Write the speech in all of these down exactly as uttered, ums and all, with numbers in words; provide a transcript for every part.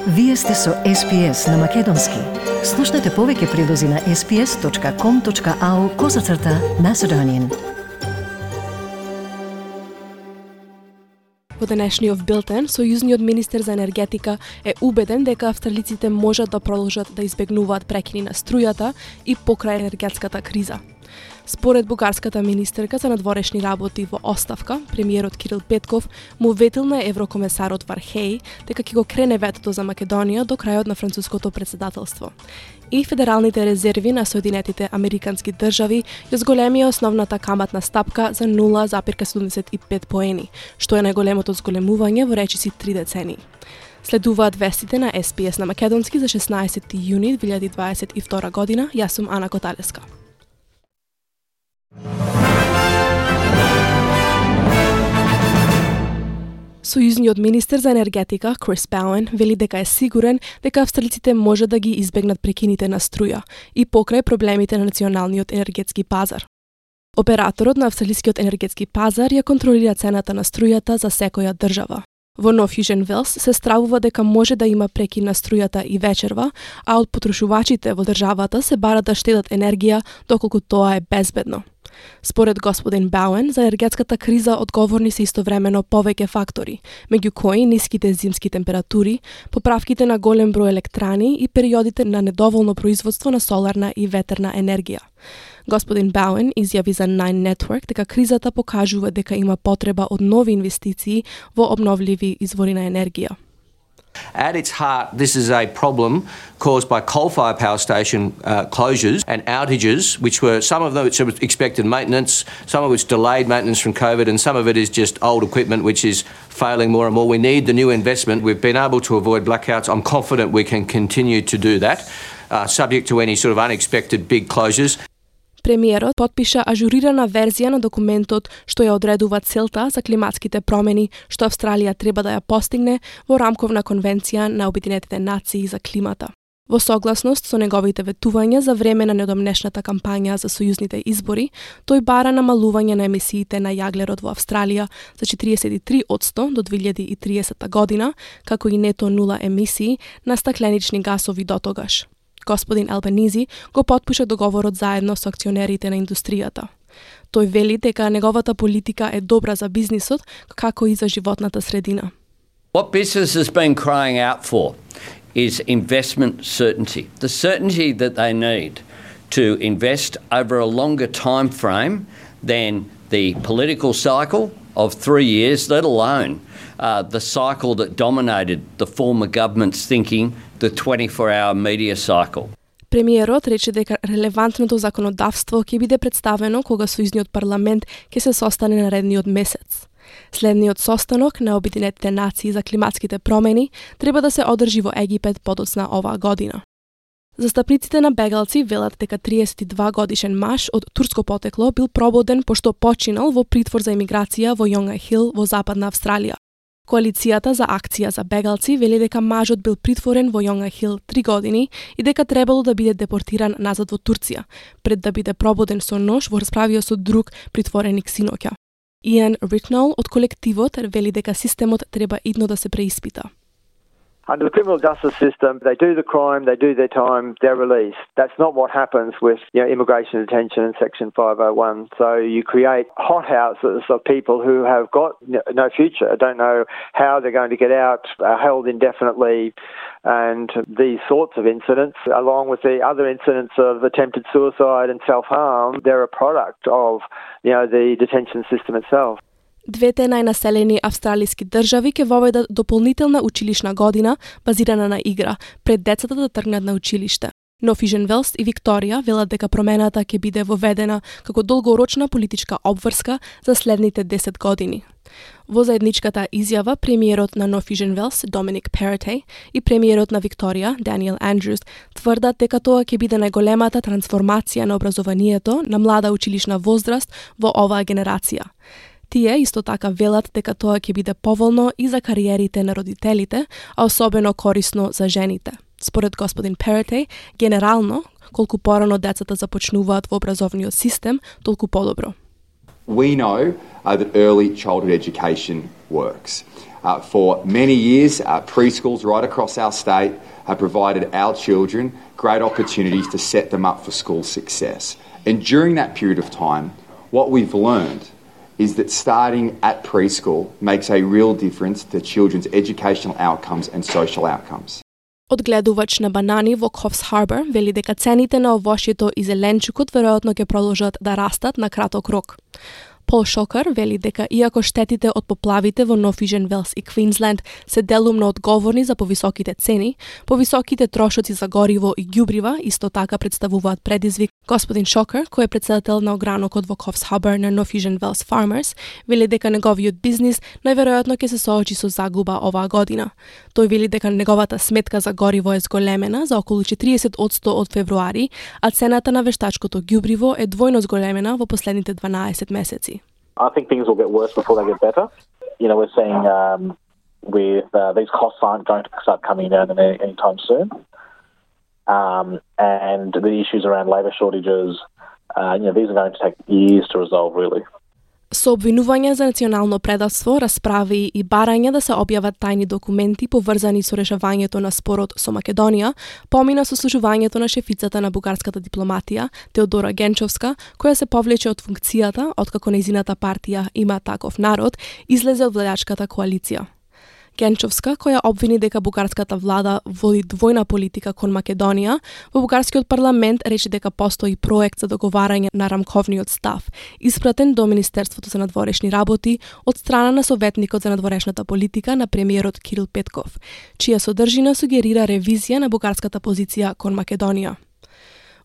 Вие сте со Ес Пи Ес на Македонски. Слушнете повеќе прилози на ес пи ес точка ком точка ау козацрта Macedonian. Во денешниот билтен, сојузниот министер за енергетика е убеден дека австралиците можат да продолжат да избегнуваат прекини на струјата и покрај енергетската криза. Според бугарската министерка за надворешни работи во оставка, премиерот Кирил Петков му ветил на еврокомесарот Вархеј дека ќе го крене ветото за Македонија до крајот на француското председателство. И федералните резерви на Соединетите Американски држави ја зголемија основната каматна стапка за нула запирка седумдесет и пет поени, што е најголемото зголемување во речиси три децении. Следуваат вестите на Ес Пи Ес на Македонски за шеснаесети јуни две илјади дваесет и втора година. Јас сум Ана Коталеска. Сојузниот министер за енергетика Крис Бауен вели дека е сигурен дека австралиците може да ги избегнат прекините на струја и покрај проблемите на националниот енергетски пазар. Операторот на австралискиот енергетски пазар ја контролира цената на струјата за секоја држава. Во Нов Јужен Велс се стравува дека може да има прекин на струјата и вечерва, а од потрошувачите во државата се бара да штедат енергија доколку тоа е безбедно. Според господин Бауен, за енергетската криза одговорни се истовремено повеќе фактори, меѓу кои ниските зимски температури, поправките на голем број електрани и периодите на недоволно производство на соларна и ветерна енергија. Господин Бауен изјави за Nine Network дека кризата покажува дека има потреба од нови инвестиции во обновливи извори на енергија. At its heart, this is a problem caused by coal-fired power station uh, closures and outages, which were some of them which were expected maintenance, some of which delayed maintenance from COVID, and some of it is just old equipment which is failing more and more. We need the new investment. We've been able to avoid blackouts. I'm confident we can continue to do that, uh, subject to any sort of unexpected big closures. Премиерот потпиша ажурирана верзија на документот што ја одредува целта за климатските промени што Австралија треба да ја постигне во рамковна конвенција на Обединетите нации за климата. Во согласност со неговите ветувања за време на недомнешната кампања за сојузните избори, тој бара намалување на емисиите на јаглерод во Австралија за четириесет и три одсто до две илјади и триесета година, како и нето нула емисии на стакленични гасови дотогаш. Господин Албанизи го потпиша договорот заедно со акционерите на индустријата. Тој вели дека неговата политика е добра за бизнисот, како и за животната средина. What business has been crying out for is investment certainty. The certainty that they need to invest over a longer time frame than the political cycle of three years, let alone uh, the cycle that dominated the former government's thinking, the twenty-four hour media cycle. Премиерот рече дека релевантното законодавство ќе биде представено кога сојузниот парламент ќе се состане наредниот месец. Следниот состанок на Обединетите нации за климатските промени треба да се одржи во Египет подоцна оваа година. Застапниците на бегалци велат дека триесет и два годишен маж од турско потекло бил прободен пошто починал во притвор за емиграција во Јонга Хил во Западна Австралија. Коалицијата за акција за бегалци вели дека мажот бил притворен во Јонга Хил три години и дека требало да биде депортиран назад во Турција, пред да биде прободен со нож во расправија со друг притвореник синоќа. Иан Ритнол од колективот вели дека системот треба идно да се преиспита. Under the criminal justice system, they do the crime, they do their time, they're released. That's not what happens with you know, immigration detention in Section five oh one. So you create hothouses of people who have got no future, don't know how they're going to get out, are held indefinitely, and these sorts of incidents, along with the other incidents of attempted suicide and self-harm, they're a product of you know, the detention system itself. Двете најнаселени австралиски држави ќе воведат дополнителна училишна година базирана на игра пред децата да тргнат на училиште. Нов Јужен Велс и Викторија велат дека промената ќе биде воведена како долгорочна политичка обврска за следните десет години. Во заедничката изјава, премиерот на Нов Јужен Велс, Доминик Перотеј, и премиерот на Викторија, Даниел Андрюс, тврдат дека тоа ќе биде најголемата трансформација на образованието на млада училишна возраст во оваа генерација. Тие исто така велат дека тоа ќе биде поволно и за кариерите на родителите, а особено корисно за жените. Според господин Перотеј, генерално, колку порано децата започнуваат во образовниот систем, толку подобро. We know uh, that early childhood education works. Uh, for many years, uh, preschools right across our state have provided our children great opportunities to set them up for school success. And during that period of time, what we've learned is that starting at preschool makes a real difference to children's educational outcomes and social outcomes. Одгледувач на банани во Coffs Harbour вели дека цените на овошјето и зеленчукот веројатно ќе продолжат да растат на краток рок. Пол Шокар вели дека иако штетите од поплавите во Нов Јужен Велс и Квинсленд се делумно одговорни за повисоките цени, повисоките трошоци за гориво и ѓубрива исто така представуваат предизвик. Господин Шокар, кој е председател на огранокот во Coffs Harbour на Нов Јужен Велс Farmers, вели дека неговиот бизнис најверојатно ќе се соочи со загуба оваа година. Тој вели дека неговата сметка за гориво е зголемена за околу четириесет одсто од февруари, а цената на вештачкото ѓубриво е двојно зголемена во последните дванаесет месеци. I think things will get worse before they get better. You know, we're seeing um, with uh, these costs aren't going to start coming down any, anytime soon. Um, and the issues around labour shortages, uh, you know, these are going to take years to resolve, really. Со обвинување за национално предавство, расправи и барање да се објават тајни документи поврзани со решавањето на спорот со Македонија, помина сослужувањето на шефицата на бугарската дипломатија, Теодора Генчовска, која се повлече од функцијата откако нејзината партија Има таков народ излезе од владачката коалиција. Генчовска, која обвини дека бугарската влада води двојна политика кон Македонија, во бугарскиот парламент рече дека постои проект за договарање на рамковниот став, испратен до Министерството за надворешни работи од страна на советникот за надворешната политика на премиерот Кирил Петков, чија содржина сугерира ревизија на бугарската позиција кон Македонија.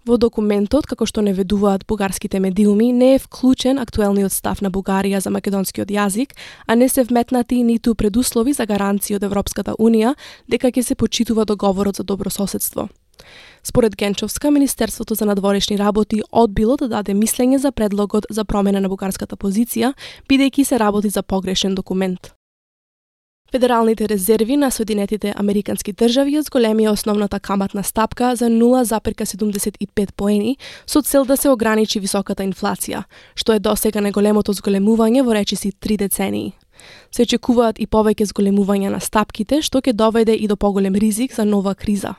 Во документот, како што наведуваат бугарските медиуми, не е вклучен актуелниот став на Бугарија за македонскиот јазик, а не се вметнати ниту предуслови за гаранции од Европската Унија дека ќе се почитува договорот за добрососедство. Според Генчовска, Министерството за надворешни работи одбило да даде мислење за предлогот за промена на бугарската позиција, бидејќи се работи за погрешен документ. Федералните резерви на Соединетите Американски држави ја зголемија основната каматна стапка за нула запирка седумдесет и пет поени со цел да се ограничи високата инфлација, што е досега најголемото зголемување во речиси три децении. Се очекуваат и повеќе зголемувања на стапките, што ќе доведе и до поголем ризик за нова криза.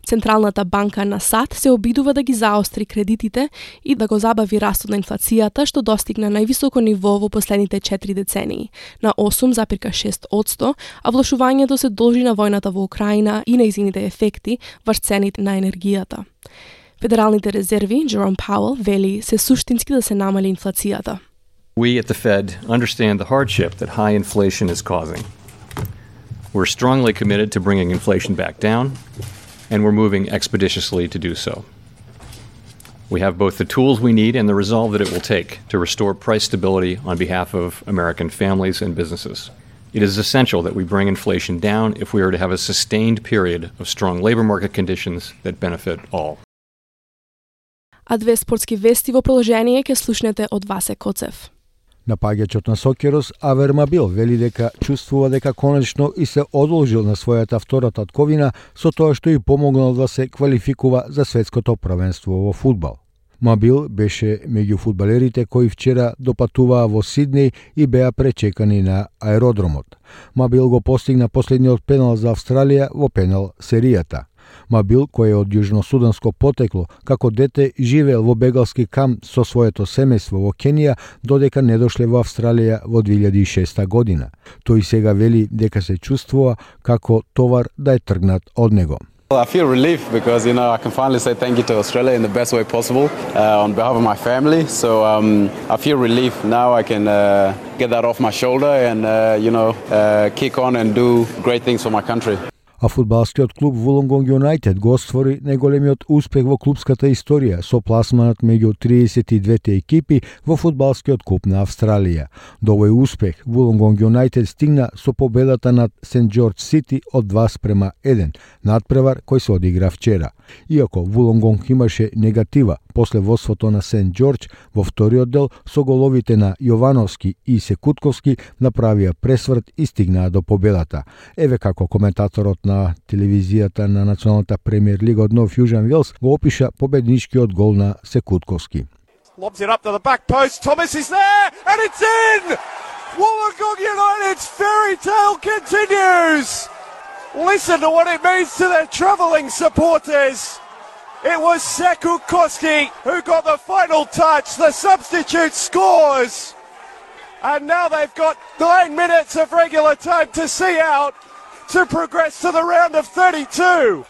Централната банка на САД се обидува да ги заостри кредитите и да го забави растот на инфлацијата, што достигна највисоко ниво во последните четири децении, на осум запирка шест одсто, а влошувањето се должи на војната во Украина и нејзините ефекти врз цените на енергијата. Федералните резерви, Jerome Powell, вели се суштински да се намали инфлацијата. We at the Fed understand the hardship that high inflation is causing. We're strongly committed to bringing inflation back down, and we're moving expeditiously to do so. We have both the tools we need and the resolve that it will take to restore price stability on behalf of American families and businesses. It is essential that we bring inflation down if we are to have a sustained period of strong labor market conditions that benefit all. А две спортски вести во продолжение ќе слушнете од Васе Коцев. Напаѓачот на Сокерос Авер Мабил вели дека чувствува дека конечно и се одолжил на својата втора татковина со тоа што и помогнал да се квалификува за светското првенство во фудбал. Мабил беше меѓу фудбалерите кои вчера допатуваа во Сиднеј и беа пречекани на аеродромот. Мабил го постигна последниот пенал за Австралија во пенал серијата. Мабил, кој е од јужносуданско потекло, како дете живеел во бегалски камп со своето семејство во Кенија, додека не дошле во Австралија во две илјади и шеста година. Тој сега вели дека се чувствува како товар да е тргнат од него. I feel relief because, you know, I can finally say thank you to Australia in the best way possible uh, on behalf of my family. So um, I feel relief. Now I can uh, get that off my shoulder and, uh, you know, uh, kick on and do great things for my country. А фудбалскиот клуб Wollongong United го оствори најголемиот успех во клубската историја со пласманот меѓу триесет и двете екипи во фудбалскиот куп на Австралија. До овој успех Wollongong United стигна со победата над Сент Џорџ Сити од два спрема еден, надпревар кој се одигра вчера. Иако Wollongong имаше негатива после водството на Сент Џорџ, во вториот дел со головите на Јовановски и Секутковски направија пресврт и стигнаа до победата. Еве како коментаторот на телевизијата на Националната премиер лига од Нов Јужен Велс го опиша победничкиот гол на Секутковски. Lobs it up to the back post. Thomas is there and it's in! Wollongong United's fairy tale continues. Listen to what it means to their travelling supporters. It was Sekou Koski who got the final touch. The substitute scores. And now they've got nine minutes of regular time to see out to progress to the round of thirty-two.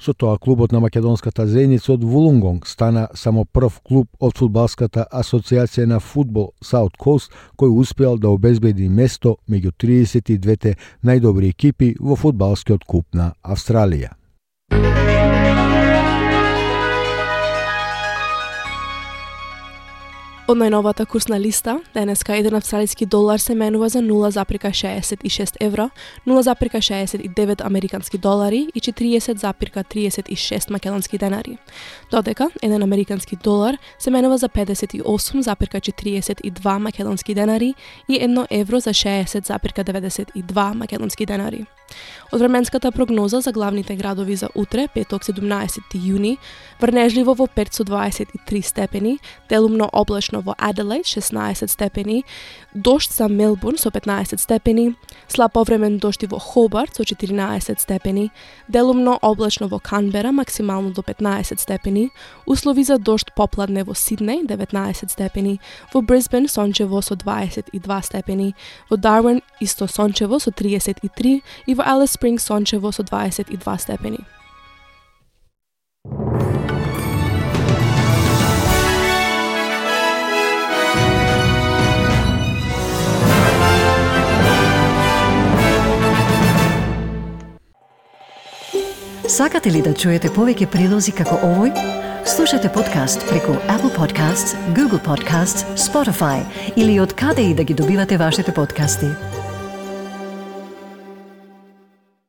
Со тоа клубот на македонската заедница од Вулонгонг стана само прв клуб од фудбалската асоциација на фудбал South Coast кој успеал да обезбеди место меѓу триесет и двете најдобри екипи во фудбалскиот куп на Австралија. Од најновата курсна листа, денеска еден австралиски долар се менува за нула запирка шеесет и шест евра, нула запирка шеесет и девет американски долари и четириесет запирка триесет и шест македонски денари. Додека еден американски долар се менува за педесет и осум запирка четириесет и два македонски денари и едно евро за шеесет запирка деветдесет и два македонски денари. Од временската прогноза за главните градови за утре, петок седумнаесети јуни, врнежливо во Перт со дваесет и три степени, делумно облачно во Аделаид шеснаесет степени, дожд за Мелбурн со петнаесет степени, слаб повремен дожд и во Хобарт со четиринаесет степени, делумно облачно во Канбера максимално до петнаесет степени, услови за дожд попладне во Сиднеј деветнаесет степени, во Брисбен сончево со дваесет и два степени, во Дарвин исто сончево со триесет и три и во Алис Спрингс сончево со дваесет и два степени. Сакате ли да чуете повеќе прилози како овој? Слушате подкаст преку Apple Podcasts, Google Podcasts, Spotify или од каде и да ги добивате вашите подкасти.